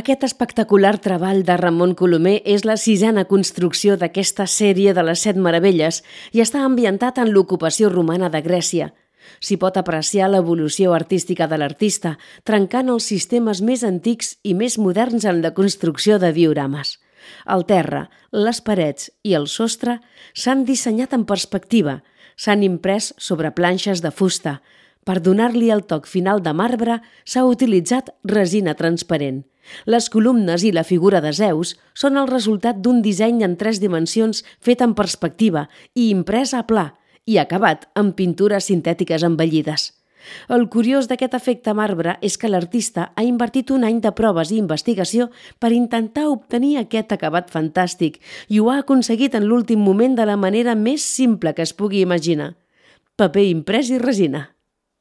Aquest espectacular treball de Ramon Colomer és la sisena construcció d'aquesta sèrie de les Set Meravelles i està ambientat en l'ocupació romana de Grècia. S'hi pot apreciar l'evolució artística de l'artista, trencant els sistemes més antics i més moderns en la construcció de diorames. El terra, les parets i el sostre s'han dissenyat en perspectiva, s'han imprès sobre planxes de fusta. Per donar-li el toc final de marbre s'ha utilitzat resina transparent. Les columnes i la figura de Zeus són el resultat d'un disseny en 3 dimensions fet en perspectiva i imprès a pla i acabat amb pintures sintètiques embellides. El curiós d'aquest efecte marbre és que l'artista ha invertit un any de proves i investigació per intentar obtenir aquest acabat fantàstic i ho ha aconseguit en l'últim moment de la manera més simple que es pugui imaginar. Paper imprès i resina.